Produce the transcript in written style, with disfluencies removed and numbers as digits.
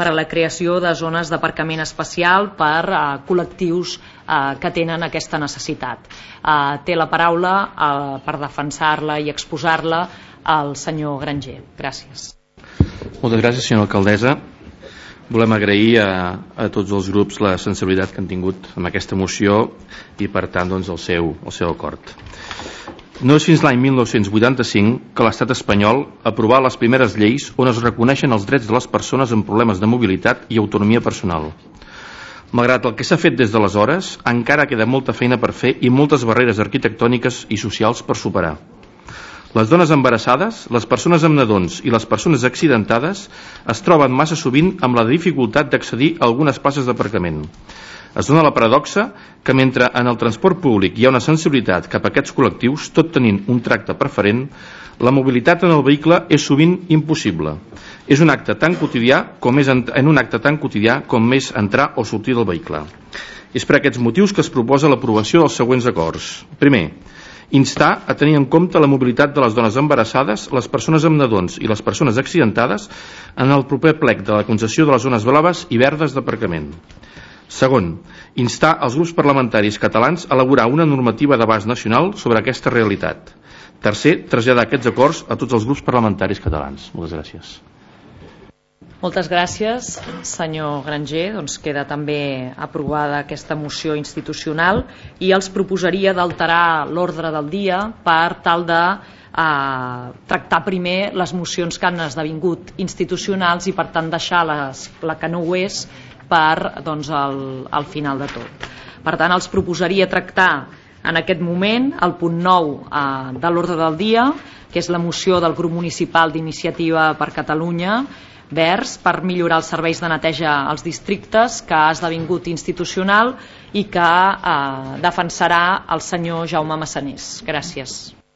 per a la creació de zones d'aparcament especial per a col·lectius que tenen aquesta necessitat. Té la paraula per defensar-la i exposar-la el senyor Granger. Gràcies. Moltes gràcies, senyora alcaldessa. Volem agrair a tots els grups la sensibilitat que han tingut amb aquesta moció i, per tant, doncs, el seu acord. No és fins l'any 1985 que l'estat espanyol aprovà les primeres lleis on es reconeixen els drets de les persones amb problemes de mobilitat i autonomia personal. Malgrat el que s'ha fet des d'aleshores, encara queda molta feina per fer i moltes barreres arquitectòniques i socials per superar. Les dones embarassades, les persones amb nadons i les persones accidentades es troben massa sovint amb la dificultat d'accedir a algunes places d'aparcament. Es dona la paradoxa que mentre en el transport públic hi ha una sensibilitat cap a aquests col·lectius, tot tenint un tracte preferent, la mobilitat en el vehicle és sovint impossible. És un acte tan quotidià com és entrar o sortir del vehicle. És per aquests motius que es proposa l'aprovació dels següents acords. Primer, instar a tenir en compte la mobilitat de les dones embarassades, les persones amb nadons i les persones accidentades en el proper plec de la concessió de les zones blaves i verdes d'aparcament. Segon, instar els grups parlamentaris catalans a elaborar una normativa d'abast nacional sobre aquesta realitat. Tercer, traslladar aquests acords a tots els grups parlamentaris catalans. Moltes gràcies. Moltes gràcies, senyor Granger. Doncs queda també aprovada aquesta moció institucional i els proposaria d'alterar l'ordre del dia per tal de tractar primer les mocions que han esdevingut institucionals i per tant deixar la que no ho és per al final de tot. Per tant, els proposaria tractar en aquest moment el punt 9 de l'ordre del dia, que és la moció del grup municipal d'Iniciativa per Catalunya Verds per millorar els serveis de neteja als districtes, que ha esdevingut institucional i que defensarà el senyor Jaume Massanés. Gràcies.